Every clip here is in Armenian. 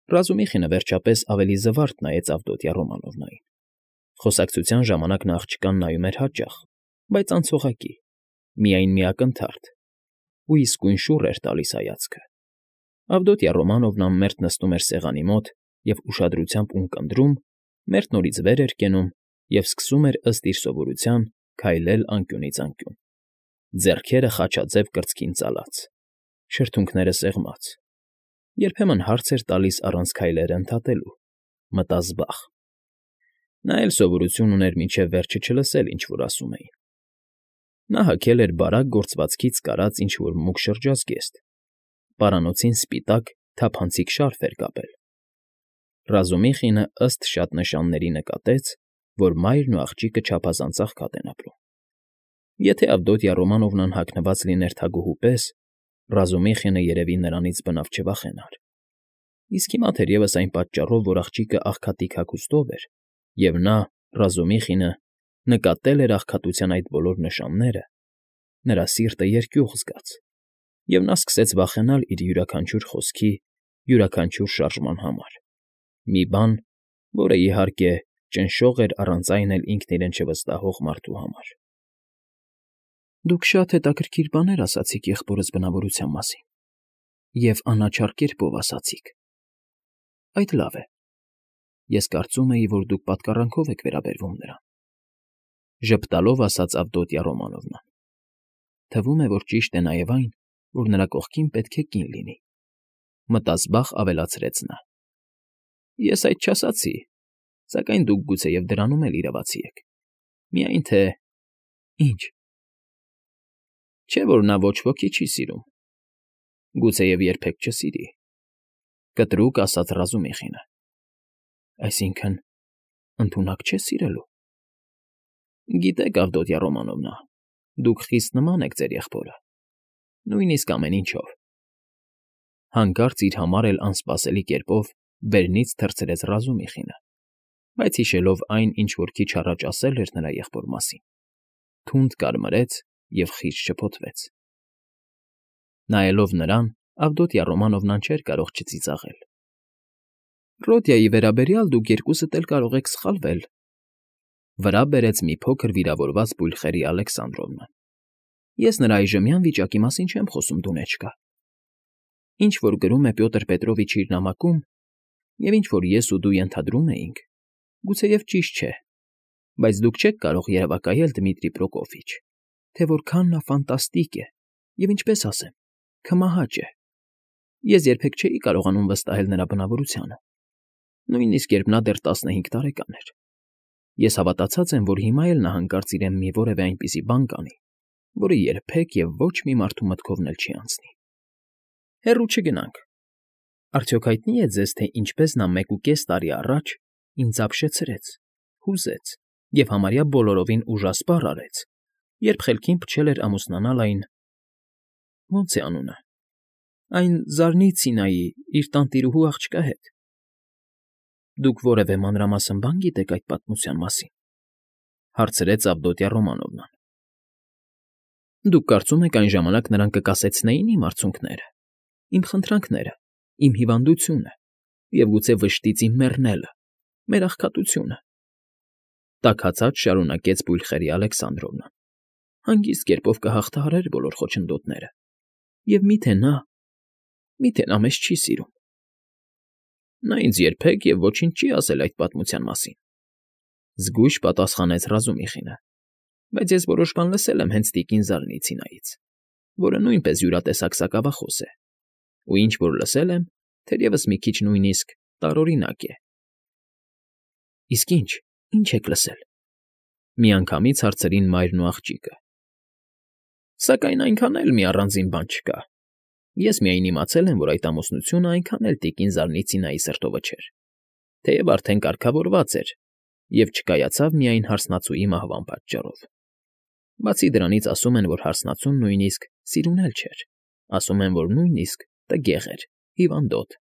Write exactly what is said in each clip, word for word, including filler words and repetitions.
Ռազումիխինը վերջապես ավելի զվարթ նայեց Ավդոտյա Ռոմանովնային. խոսակցության ժամանակ նա աղջկան նայում էր հաճախ, բայց անցողակի, միայն մի ակնթարթ, ու իսկույն շուռ էր տալիս հայացքը։ Ավդոտյա Ռոմանովնան մերթ նստում էր սեղանի մոտ և ուշադրությամբ ունկնդրում, մերթ նորից վեր էր կենում և սկսում էր ըստ իր սովորության քայլել անկյունից անկյուն, ձեռքերը խաչաձև կրծքին ծալած, շրթունքները սեղմած, երբեմն հարց էր տալիս առանց քայլերը ընդհատելու, մտազբաղ. նա էլ սովորություն ուներ մինչև վերջը չլսել, ինչ որ ասում էին։ Նա հագել էր բարակ գործվածքից կարած ինչ֊որ մուգ շրջազգեստ, պարանոցին սպիտակ, թափանցիկ շարֆ էր կապել։ Ռազումիխինը ըստ շատ նշանների նկատեց, որ մայրն ու աղջիկը չափազանց աղքատ են ապրում։ Եթե Ավդոտյա Ռոմանովնան հագնված լիներ թագուհու պես, Ռազումիխինը երևի նրանից բնավ չվախենար։ Իսկ հիմա թերևս այն պատճառով, որ աղջիկը աղքատիկ հագուստով էր, և նա, Ռազումիխինը, նկատել էր աղքատության այդ բոլոր նշանները, նրա սիրտը երկյուղ զգաց, և նա սկսեց վախենալ իր յուրաքանչյուր խոսքի, յուրաքանչյուր շարժման համար, մի բան, որը, իհարկե, ճնշող էր առանց այն էլ ինքն իրեն չվստահող մարդու համար։ ֊ Դուք շատ հետաքրքիր բաներ ասացիք եղբորս բնավորության մասին, և անաչառ կերպով ասացիք, այդ լավ է, ես կարծում էի, որ դուք պատկառանքով եք վերաբերվում նրան,֊ ժպտալով ասաց Ավդոտյա Ռոմանովնան։֊ Թվում է, որ ճիշտ է նաև այն, որ նրա կողքին պետք է կին լինի,֊ մտազբաղ ավելացրեց նա։ ֊ Ես այդ չասացի, սակայն դուք գուցեև դրանում էլ իրավացի եք, միայն թե… Ի՞նչ։ ֊ Չէ՞ որ նա ոչ ոքի չի սիրում, գուցեև երբեք չսիրի,֊ կտրուկ ասաց Ռազումիխինը։ ֊ Այսինքն, ընդունակ չէ՞ սիրելու։ ֊ Գիտեք, Ավդոտյա Ռոմանովնա, դուք խիստ նման եք ձեր եղբորը, նույնիսկ ամեն ինչով,֊ հանկարծ իր համար էլ անսպասելի կերպով վերնից թռցրեց Ռազումիխինը, բայց հիշելով այն, ինչ որ քիչ առաջ ասել էր նրա եղբոր մասին, թունդ կարմրեց և խիստ շփոթվեց։ Նայելով նրան, Ավդոտյա Ռոմանովնան չէր կարող չծիծաղել։ ֊ Ռոդյայի վերաբերյալ դուք երկուսդ էլ կարող եք սխալվել,֊ վրա բերեց մի փոքր վիրավորված բույլխերի Ալեքսանդրովնան։֊ Ես նրա այժմյան վիճակի մասին չեմ խոսում, դունեչկա. ինչ որ գրում է Պյոտր Պետրովիչը իր նամակում, և ինչ որ ես ու դու ենթադրում էինք, գուցեև ճիշտ չէ, բայց դուք չեք կարող երևակայել, Դմիտրի Պրոկոֆիչ, թե որքան նա ֆանտաստիկ է և, ինչպես ասեմ, քմահաճ է։ Ես երբեք չէի կարողանում վստահել նրա բնավորությանը, նույնիսկ երբ նա դեռ տասնհինգ տարեկան էր։ Ես հավատացած եմ, որ հիմա էլ նա հանկարծ իրեն մի որևէ այնպիսի բան կանի, որը երբեք և ոչ մի մարդու մտքովն էլ չի անցնի։ Հեռու չգնանք. արդյոք հայտնի է ձեզ, թե ինչպես նա մեկուկես տարի առաջ ինձ ապշեցրեց, հուզեց և համարյա բոլորովին ուժասպառ արեց, երբ խելքին փչել էր ամուսնանալ այն… ո՞նց է անունը… այն Զարնիցինայի, իր տանտիրուհու աղջկա հետ։ Դուք որևէ մանրամասն բան գիտեք այդ պատմության մասին,֊ հարցրեց Ավդոտյա Ռոմանովնան։ ֊ Դուք կարծում եք այն ժամանակ նրան կկասեցնեի՞ն իմ արցունքները, իմ խնդրանքները, իմ հիվանդությունը և գուցե վշտից իմ մեռնելը, մեր աղքատությունը,֊ տաքացած շարունակեց բույլխերի Ալեքսանդրովնան։֊ Հանգիստ կերպով կհաղթահարեր բոլոր խոչընդոտները, և մի՞թե նա… Մի՞թե նա մեզ չի սիրում։ ֊ Նա ինձ երբեք և ոչինչ չի ասել այդ պատմության մասին,֊ զգույշ պատասխանեց Ռազումիխինը,֊ բայց ես որոշ բան լսել եմ հենց տիկին Զարնիցինայից, որը նույնպես յուրատեսակ սակավախոս է, ու ինչ որ լսել եմ, թերևս մի քիչ նույնիսկ տարօրինակ է։ ֊ Իսկ ի՞նչ, ի՞նչ եք լսել,֊ միանգամից հարցրին մայրն ու աղջիկը։ ֊ Սակայն այնքան էլ մի առանձին բան չկա. ես միայն իմացել եմ, որ այդ ամուսնությունը այնքան էլ տիկին Զարնիցինայի սրտովը չէր, թեև արդեն կարգավորված էր և չկայացավ միայն հարսնացուի մահվան պատճառով։ Բացի դրանից ասում են, որ հարսնացուն նույնիսկ սիրուն էլ չէր, ասում են, որ նույնիսկ տգեղ էր, հիվանդոտ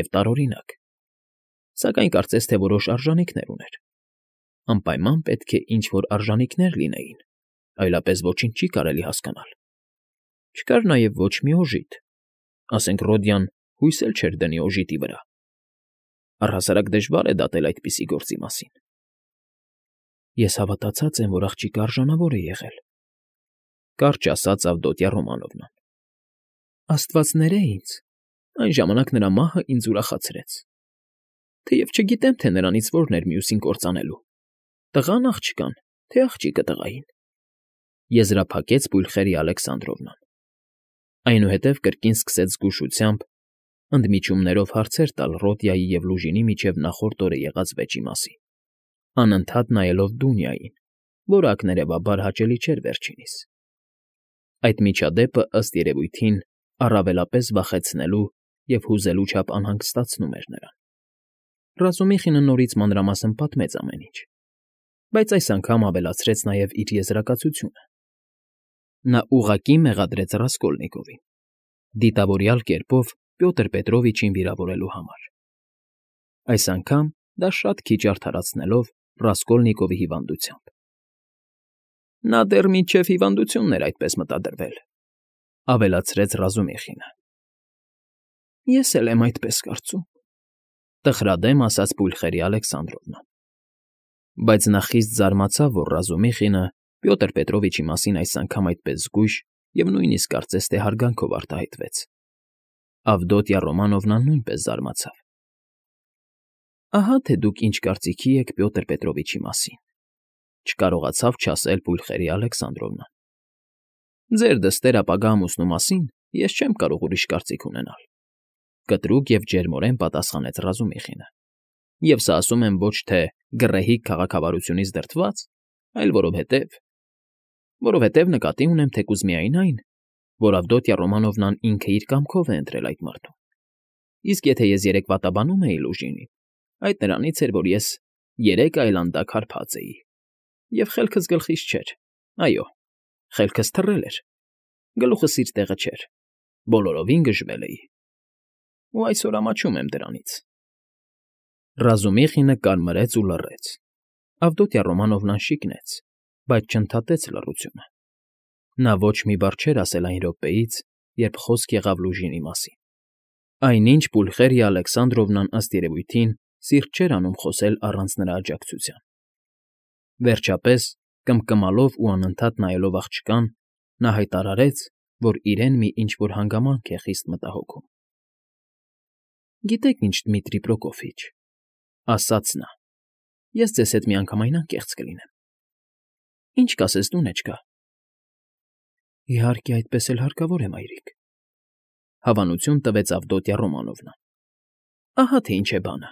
և տարօրինակ, սակայն կարծես թե որոշ արժանինքներ ուներ։ Անպայման պետք է ինչ֊որ արժանինքներ լինեին, այլապես ոչինչ չի կարելի հասկանալ։ Չկար նաև ոչ մի օժիտ, ասենք Ռոդյան հույս էլ չէր դնի օժիտի վրա, Առհասարակ դժվար է դատել այդպիսի գործի մասին։ Ես հավատացած եմ, որ աղջիկը արժանավոր է եղել, կարճ ասաց Ավդոտյա Ռոմանովնան։ Աստված ները ինձ, այն ժամանակ նրա մահը ինձ ուրախացրեց։ Թեև չգիտեմ, թե նրանից որն էր մյուսին կործանելու, տղան աղջկան, թե աղջիկը տղային, եզրափակեց Պուլխերիա Ալեքսանդրովնան։ Այնուհետև կրկին սկսեց զգուշությամբ, ընդմիջումներով հարցեր տալ Ռոդիայի և Լուժինի միջև նախորդ օրը եղած վեճի մասին, անընդհատ նայելով Դունյային, որը ակներևաբար հաճելի չէր վերջինիս։ Այդ միջադեպը, ըստ երևույթին, առավելապես վախեցնելու և հուզելու չափ անհանգստացնում էր նրան։ Ռազումիխինը նորից մանրամասն պատմեց ամեն ինչ, բայց այս անգամ ավելացրեց նաև իր եզրակացությունը։ Նա ուղղակի մեղադրեց Ռասկոլնիկովին, դիտավորյալ կերպով Պյոտր Պետրովիչին վիրավորելու համար։ Այս անգամ դա շատ քիչ արդարացնելով Ռասկոլնիկովի հիվանդությամբ։ Նա դեռ մինչև հիվանդությունն էր այդպես մտադրվել, ավելացրեց Ռազումիխինը։ Ես էլ եմ այդպես կարծում, տխրադեմ ասաց Պուլխերիա Ալեքսանդրովնան։ Բայց նա խիստ զարմացավ, որ Ռազումիխինը Պյոտր Պետրովիչի մասին այս անգամ այդպես զգույշ և նույնիսկ կարծես թե հարգանքով արտահայտվեց։ Ավդոտյա Ռոմանովնան նույնպես զարմացավ։ Ահա թե դուք ինչ կարծիքի եք Պյոտր Պետրովիչի մասին, չկարողացավ չասել Պուլխերիա Ալեքսանդրովնան։ Ձեր դստեր ապագա ամուսնու մասին ես չեմ կարող ուրիշ կարծիք ունենալ, կտրուկ և ջերմորեն պատասխանեց Ռազումիխինը։ Եվ սա ասում եմ ոչ թե գռեհիկ քաղաքավարությունից դրդված, այլ որովհետև… որովհետև նկատի ունեմ թեկուզ միայն այն, որ Ավդոտյա Ռոմանովնան ինքը իր կամքով է ընտրել այդ մարդուն։ Իսկ եթե ես երեկ վատաբանում էի Լուժինին, այդ նրանից էր, որ ես երեք այլանդակ հարբած էի, և խելքս գլխիս չէր, այո, խելքս թռել էր, գլուխս իր տեղը չէր, բոլորովին գժվել էի, ու այսօր ամաչում եմ դրանից։ Ռազումիխինը կարմրեց ու լռեց։ Ավդոտյա Ռոմանովնան շիկնեց, բայց չընդհատեց լռությունը։ Նա ոչ մի բառ չէր ասել այն րոպեից, երբ խոսք եղավ Լուժինի մասին։ Այնինչ Պուլխերիա Ալեքսանդրովնան ըստ երևույթին սիրտ չէր անում խոսել առանց նրա աջակցության։ Վերջապես, կմկմալով ու անընդհատ նայելով աղջկան, նա հայտարարեց, որ իրեն մի ինչ֊որ հանգամանք է խիստ մտահոգում։ Գիտեք ինչ, Դմիտրի Պրոկոֆիչ, ասաց նա, ես ձեզ հետ միանգամայն անկեղծ կլինեմ։ Ինչ կասես, դունեչկա։ Իհարկե, այդպես էլ հարկավոր է, մայրիկ, հավանություն տվեց Ավդոտյա Ռոմանովնան։ Ահա թե ինչ է բանը,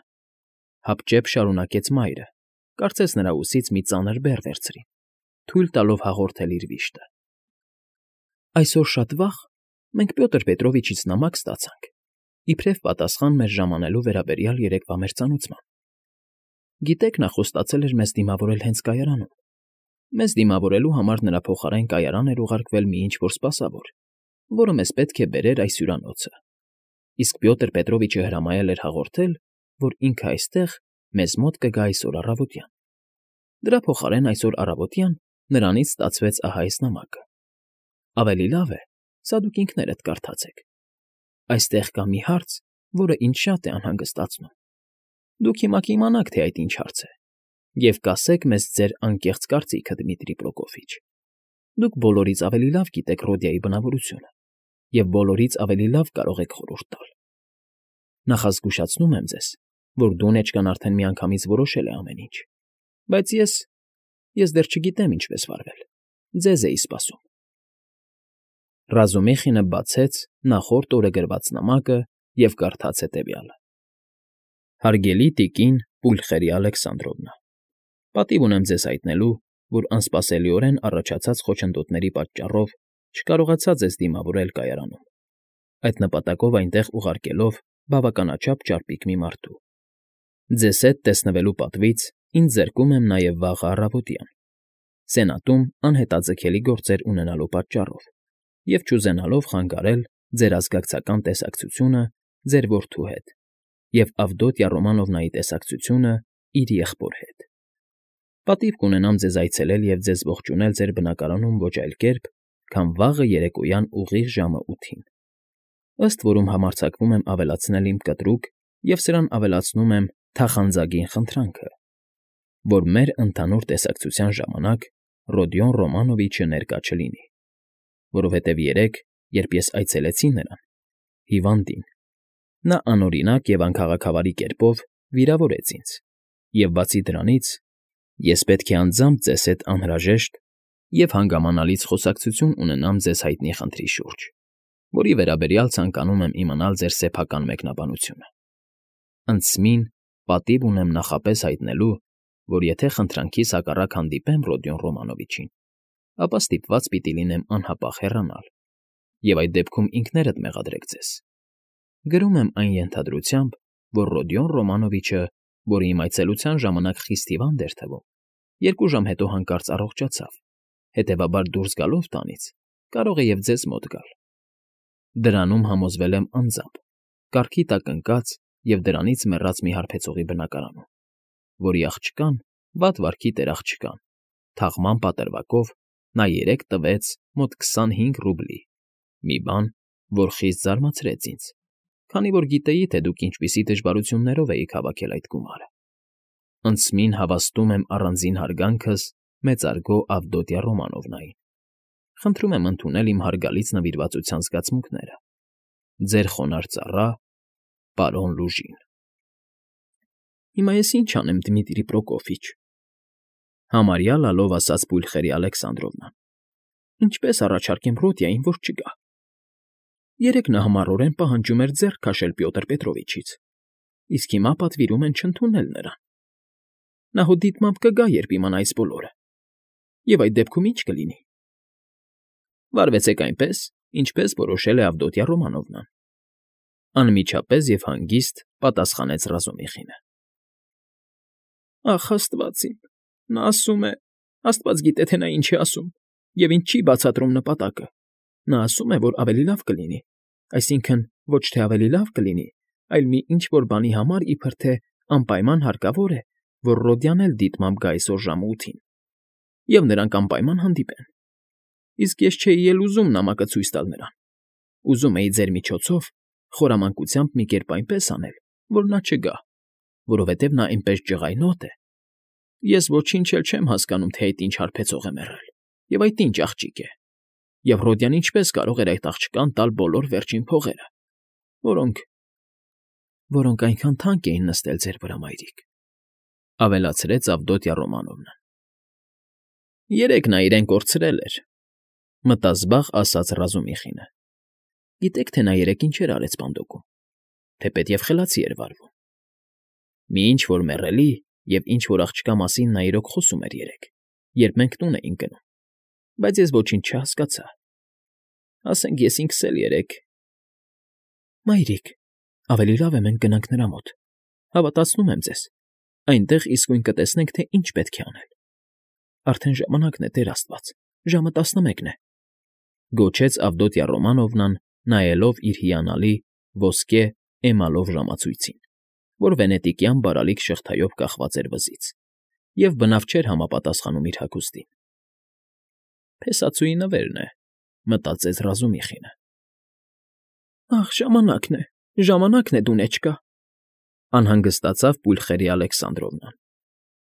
հապճեպ շարունակեց մայրը, կարծես նրա ուսից մի ծանր բեռ վերցրին, թույլ տալով հաղորդել իր վիշտը։ Այսօր շատ վաղ մենք Պյոտր Պետրովիչից նամակ ստացանք, իբրև պատասխան մեր ժամանելու վերաբերյալ երեկվա մերձանուցման։ Գիտեք, նա խոստացել էր մեզ դիմավորել հենց կայարանում։ Մեզ դիմավորելու համար նրա փոխարեն կայարան էր ուղարկվել մի ինչ֊որ սպասավոր, որը մեզ պետք է բերեր այս հյուրանոցը։ Իսկ Պյոտր Պետրովիչը հրամայել էր հաղորդել, որ ինքը այստեղ մեզ մոտ կգա այսօր առավոտյան։ Դրա փոխարեն այսօր առավոտյան նրանից ստացվեց ահա այս նամակը։ Ավելի լավ է, սա դուք ինքներդ կարդացեք։ Այստեղ կա մի հարց, որը ինձ շատ է անհանգստացնում։ Դուք հիմա կիմանաք, թե այդ ինչ հարց է, և կասեք մեզ ձեր անկեղծ կարծիքը, Դմիտրի Պրոկոֆիչ։ Դուք բոլորից ավելի լավ գիտեք Ռոդիայի բնավորությունը և բոլորից ավելի լավ կարող եք խորհուրդ տալ։ Նախազգուշացնում եմ ձեզ, որ դունեչկան արդեն միանգամից որոշել է ամեն ինչ, բայց ես… ես դեռ չգիտեմ ինչպես վարվել, ձեզ էի սպասում։ Ռազումիխինը բացեց նախորդ օրը գրված նամակը և կարդաց հետևյալը. Հարգելի տիկին Պուլխերիա Ալեքսանդրովնա, պատիվ ունեմ ձեզ հայտնելու, որ անսպասելիորեն առաջացած խոչընդոտների պատճառով չկարողացա ձեզ դիմավորել կայարանում, այդ նպատակով այնտեղ ուղարկելով բավականաչափ ճարպիկ մի մարդու։ Ձեզ հետ տեսնվելու պատվից ինձ զրկում եմ նաև վաղը առավոտյան, Սենատում անհետաձգելի գործեր ունենալու պատճառով և չուզենալով խանգարել ձեր ազգակցական տեսակցությունը ձեր որդու հետ և Ավդոտյա Ռոմանովնայի տեսակցությունը իր եղբոր հետ։ Պատիվ կունենամ ձեզ այցելել և ձեզ ողջունել ձեր բնակարանում ոչ այլ կերպ, քան վաղը երեկոյան ուղիղ ժամը ութին, ըստ որում համարձակվում եմ ավելացնել իմ կտրուկ և սրան ավելացնում եմ թախանձագին խնդրանքը, որ մեր ընդհանուր տեսակցության ժամանակ Ռոդիոն Ռոմանովիչը ներկա չլինի, որովհետև երեկ, երբ ես այցելեցի նրան, հիվանդին, նա անօրինակ և անքաղաքավարի կերպով վիրավորեց ինձ, և բացի դրանից, ես պետք է անձամբ ձեզ հետ անհրաժեշտ և հանգամանալից խոսակցություն ունենամ ձեզ հայտնի խնդրի շուրջ, որի վերաբերյալ ցանկանում եմ իմանալ ձեր սեփական մեկնաբանությունը։ Ընդսմին պատիվ ունեմ նախապես հայտնելու, որ եթե խնդրանքիս հակառակ հանդիպեմ Ռոդիոն Ռոմանովիչին, ապա ստիպված պիտի լինեմ անհապաղ հեռանալ, և այդ դեպքում ինքներդ մեղադրեք ձեզ։ Գրում եմ այն ենթադրությամբ, որ Ռոդիոն Ռոմանովիչը, որը իմ այցելության ժամանակ խիստ հիվանդ էր թվում, երկու ժամ հետո հանկարծ առողջացավ, հետևաբար դուրս գալով տանից կարող է և ձեզ մոտ գալ։ Դրանում համոզվել եմ անձամբ, կառքի տակ ընկած և դրանից մեռած մի հարբեցողի բնակարանում, որի աղջկան, վատ վարքի տեր աղջկան, թաղման պատրվակով նա երեկ տվեց մոտ քսանհինգ ռուբլի, մի բան, որ խիստ զարմացրեց ինձ, քանի որ գիտեի, թե դուք ինչպիսի դժվարություններով էիք հավաքել այդ գումարը։ Ընդսմին հավաստում եմ առանձին հարգանքս մեծարգո Ավդոտյա Ռոմանովնային։ Խնդրում եմ ընդունել իմ հարգալից նվիրվածության զգացմունքները։ Ձեր խոնարհ ծառա պարոն Լուժին։ Հիմա ես ինչ անեմ, Դմիտրի Պրոկոֆիչ, համարյա լալով ասաց Պուլխերի Ալեքսանդրովնան, ինչպես առաջարկեմ Ռոդիային, որ չգա։ Երեկ նա համառորեն պահանջում էր ձեռք քաշել Պյոտր Պետրովիչից, իսկ հիմա պատվիրում են չընդունել նրան։ Նա հո դիտմամբ կգա, երբ իմանա այս բոլորը։ Եվ այդ դեպքում ի՞նչ կլինի։ Վարվեցեք այնպես, ինչպես որոշել է Ավդոտյա Ռոմանովնան, անմիջապես և հանգիստ պատասխանեց Ռազումիխինը։ Ախ, աստված իմ, նա ասում է, աստված գիտե, թե նա ինչ է ասում, և ինձ չի բացատրում նպատակը։ Նա ասում է, որ ավելի լավ կլինի, այսինքն ոչ թե ավելի լավ կլինի, այլ մի ինչ֊որ բանի համար իբր թե անպայման հարկավոր է, որ Ռոդիան էլ դիտմամբ գա այսօր ժամը ութին, և նրանք անպայման հանդիպեն։ Իսկ ես չէի էլ ուզում նամակը ցույց տալ նրան։ Ուզում էի ձեր միջոցով խորամանկությամբ մի կերպ այնպես անել, որ նա չգա, որովհետև նա այնպես ջղայնոտ է։ Ես ոչինչ էլ չեմ հասկանում, թե այդ ինչ հարբեցող է մեռել, և այդ ինչ աղջիկ է, և Ռոդիան ինչպես կարող էր այդ աղջկան տալ բոլոր վերջին փողերը, որոնք… որոնք այնքան թանկ էին նստել ձեր վրա, մայրիկ, ավելացրեց Ավդոտյա Ռոմանովնան։ Երեկ նա իրեն կորցրել էր, մտազբաղ ասաց Ռազումիխինը։ Գիտեք, թե նա երեկ ինչեր արեց պանդոկում, թեպետև խելացի էր վարվում։ Մի ինչ֊որ մեռելի և ինչ֊որ աղջկա մասին նա իրոք խոսում էր երեկ, երբ մենք տուն էինք գնում, բայց ես ոչինչ չհասկացա։ Ասենք ես ինքս էլ երեկ… Մայրիկ, ավելի լավ է մենք գնանք նրա մոտ, հավատացնում եմ ձեզ, այնտեղ իսկույն կտեսնենք, թե ինչ պետք է անել։ Արդեն ժամանակն է, Տեր աստված, ժամը տասնմեկն է, գոչեց Ավդոտյա Ռոմանովնան, նայելով իր հիանալի ոսկե էմալով ժամացույցին, որ վենետիկյան բարալիկ շղթայով կախված էր վզից, և բնավ չէր համապատասխանում իր հագուստին։ Փեսացուի նվերն է, մտածեց Ռազումիխինը։ Ախ, ժամանակն է, ժամանակն է, դունեչկա, անհանգստացավ Պուլխերի Ալեքսանդրովնան։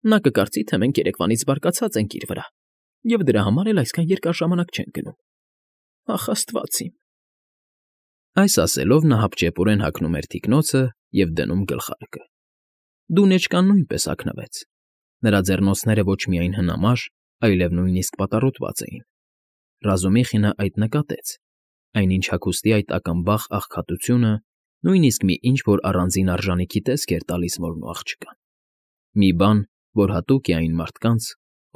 Նա կկարծի, թե մենք երեկվանից բարկացած ենք իր վրա, և դրա համար էլ այսքան երկար ժամանակ չենք գնում։ Ախ, աստված իմ… Այս ասելով նա հապճեպորեն հագնում էր թիկնոցը և դնում գլխարկը։ Դունեչկան նույնպես հագնվեց։ Նրա ձեռնոցները ոչ միայն հնամաշ, այլև նույնիսկ պատառոտված էին։ Ռազումիխինը այդ նկատեց, այնինչ հագուստի այդ ակնբախ աղքատությունը նույնիսկ մի ինչ֊որ առանձին արժանիքի տեսք էր տալիս մորն ու աղջկան։ Մի բան, որ հատուկ է այն մարդկանց,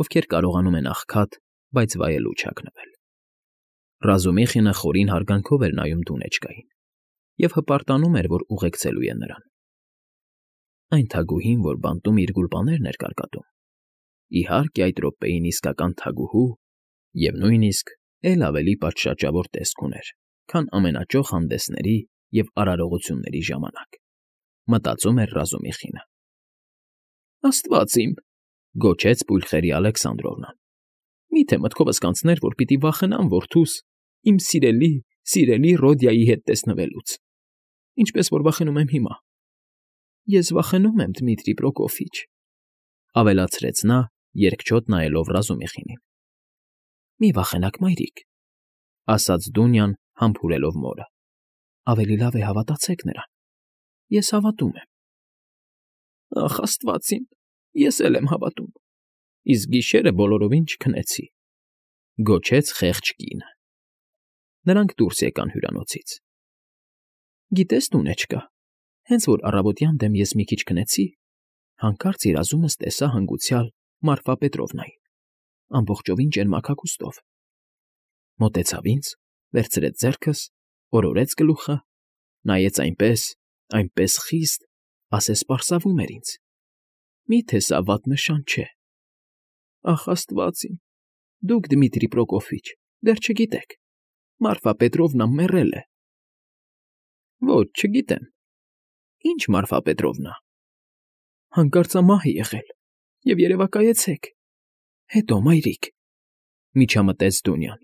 ովքեր կարողանում են աղքատ, բայց վայելուչ հագնվել։ Ռազումիխինը խորին հարգանքով էր նայում դունեչկային և հպարտանում էր, որ ուղեկցելու է նրան։ Այն թագուհին, որ բանտում իր գուլպաներն էր կարկատում, իհարկե այդ րոպեին իսկական թագուհու և նույնիսկ էլ ավելի պատշաճավոր տեսք ուներ, քան ամենաճոխ հանդեսների և արարողությունների ժամանակ, մտածում էր Ռազումիխինը։ Աստված իմ… գոչեց Պուլխերի Ալեքսանդրովնան։ Մի՞թե մտքովս կանցներ, որ պիտի վախենամ որդուս, իմ սիրելի, սիրելի Ռոդիայի հետ տեսնվելուց, ինչպես որ վախենում եմ հիմա։ Ես վախենում եմ, Դմիտրի Պրոկոֆիչ,֊ ավելացրեց նա, երկչոտ նայելով Ռազումիխինին։ ֊ Մի վախենաք, մայրիկ,֊ ասաց Դունյան, համբուրելով մորը։֊ Ավելի լավ է հավատացեք նրան. ես հավատում եմ։ ֊ Ախ, աստված իմ, ես էլ եմ հավատում, իսկ գիշերը բոլորովին չքնեցի,֊ գոչեց խեղճ կինը։ Նրանք դուրս եկան հյուրանոցից։ ֊ Գիտես, Դունեչկա, հենց որ առավոտյան դեմ ես մի քիչ քնեցի, հանկարծ երազումս տեսա հանգուցյալ Մարֆա Պետրովնային, ամբողջովին ճերմակակուստով. մոտեցավ ինձ, վերցրեց ձեռքս, օրորեց գլուխը, նայեց այնպես, այնպես խիստ, ասես պարսավում էր ինձ. «Մի՞թե սա վատ նշան չէ»։ Ախ, աստված իմ, դուք, Դմիտրի Պրոկոֆիչ, դեռ չգիտեք, Մարֆա Պետրովնան մեռել է։ ֊ Ոչ, չգիտեմ։ ֊ Ի՞նչ Մարֆա Պետրովնա։ ֊ Հանկարծամահ է եղել, և երևակայեցեք։ ֊ Հետո, մայրիկ,֊ միջամտեց Դունյան,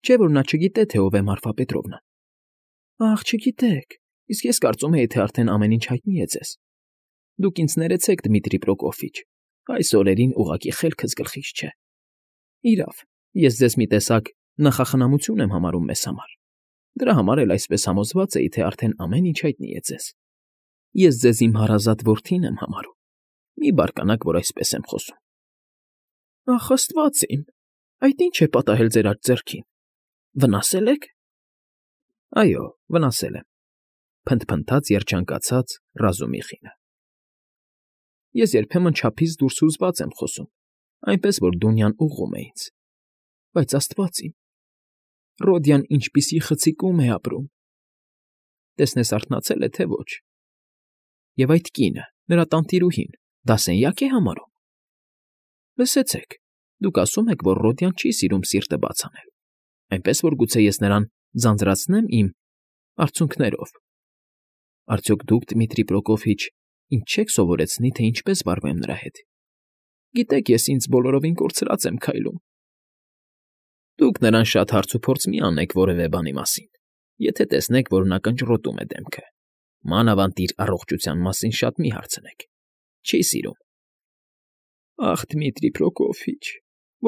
չէ՞ որ նա չգիտե, թե ով է Մարֆա Պետրովնան։ ֊ Ախ, չգիտեք, իսկ ես կարծում էի, թե արդեն ամեն ինչ հայտնի է ձեզ։ Դուք ինձ ներեցեք, Դմիտրի Պրոկոֆիչ, այս օրերին ուղղակի խելքս գլխիս չէ։ Իրավ, ես ձեզ մի տեսակ նախախնամություն եմ համարում մեզ համար, դրա համար էլ այսպես համոզված էի, թե արդեն ամեն ինչ հայտնի է ձեզ։ Ես ձեզ իմ հարազատ որդին եմ համարում, մի բարկանաք, որ այսպես եմ խոսում։ ֊ Ախ, աստված իմ, այդ ի՞նչ է պատահել ձեր աջ ձեռքին, վնասե՞լ եք։ ֊ Այո, վնասել եմ,֊ փնթփնթաց երջանկացած Ռազումիխինը։ Ես երբեմն չափից դուրս հուզված եմ խոսում, այնպես որ Դունյան ուղղում է ինձ. բայց աստված իմ, Ռոդյան ինչպիսի խցիկում է ապրում… Տեսնես արթնացել է, թե ոչ… Եվ այդ կինը, նրա տանտիրուհին, դասենյա՞կ է համարում։ Լսեցեք, դուք ասում եք, որ Ռոդյան չի սիրում սիրտը բաց անել, այնպես որ գուցե ես նրան ձանձրացնեմ իմ… արցունքներով… Արդյոք դուք, Դմիտրի Պրոկոֆիչ, ինձ չեք սովորեցնի, թե ինչպես վարվեմ նրա հետ։ Գիտեք, ես ինձ բոլորովին կորցրած եմ քայլում։ Դուք նրան շատ հարցուփորձ մի անեք որևէ բանի մասին, եթե տեսնեք, որ նա կնճռոտում է դեմքը, մանավանդ իր առողջության մասին շատ մի հարցնեք, չի սիրում։ Ախ, Դմիտրի Պրոկոֆիչ,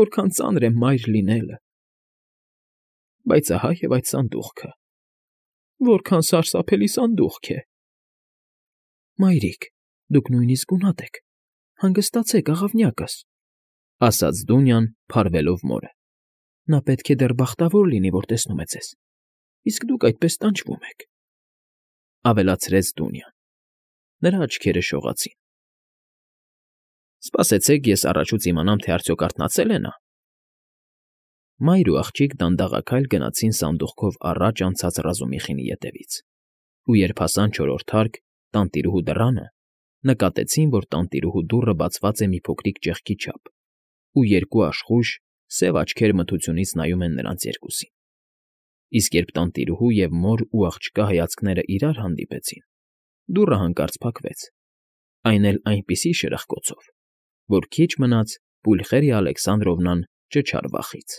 որքան ծանր է մայր լինելը… Բայց ահա և այդ սանդուղքը… Որքան սարսափելի սանդուղք է… Մայրիկ, դուք նույնիսկ գունատ եք, հանգստացեք, աղավնյակս,֊ ասաց Դունյան, փարվելով մորը։ Նա պետք է դեռ բախտավոր լինի, որ տեսնում է ձեզ, իսկ դուք այդպես տանջվում եք,֊ ավելացրեց Դունյան։ Նրա աչքերը շողացին։ ֊ Սպասեցեք, ես առաջուց իմանամ, թե արդյոք արթնացել է նա։ Մայր ու աղջիկ դանդաղաքայլ գնացին սանդուղքով առաջ անցած Ռազումիխինի ետևից, ու երբ հասան չորրորդ հարկ, տանտիրուհու դռանը, նկատեցին, որ տանտիրուհու դուռը բացված է մի փոքրիկ ճեղքի չափ, ու երկու աշխույժ, սև աչքեր մթությունից նայում են նրանց երկուսին։ Իսկ երբ տանտիրուհու և մոր ու աղջկա հայացքները իրար հանդիպեցին, դուռը հանկարծ փակվեց, այն էլ այնպիսի շրխկոցով, որ քիչ մնաց Պուլխերիա Ալեքսանդրովնան ճչար վախից։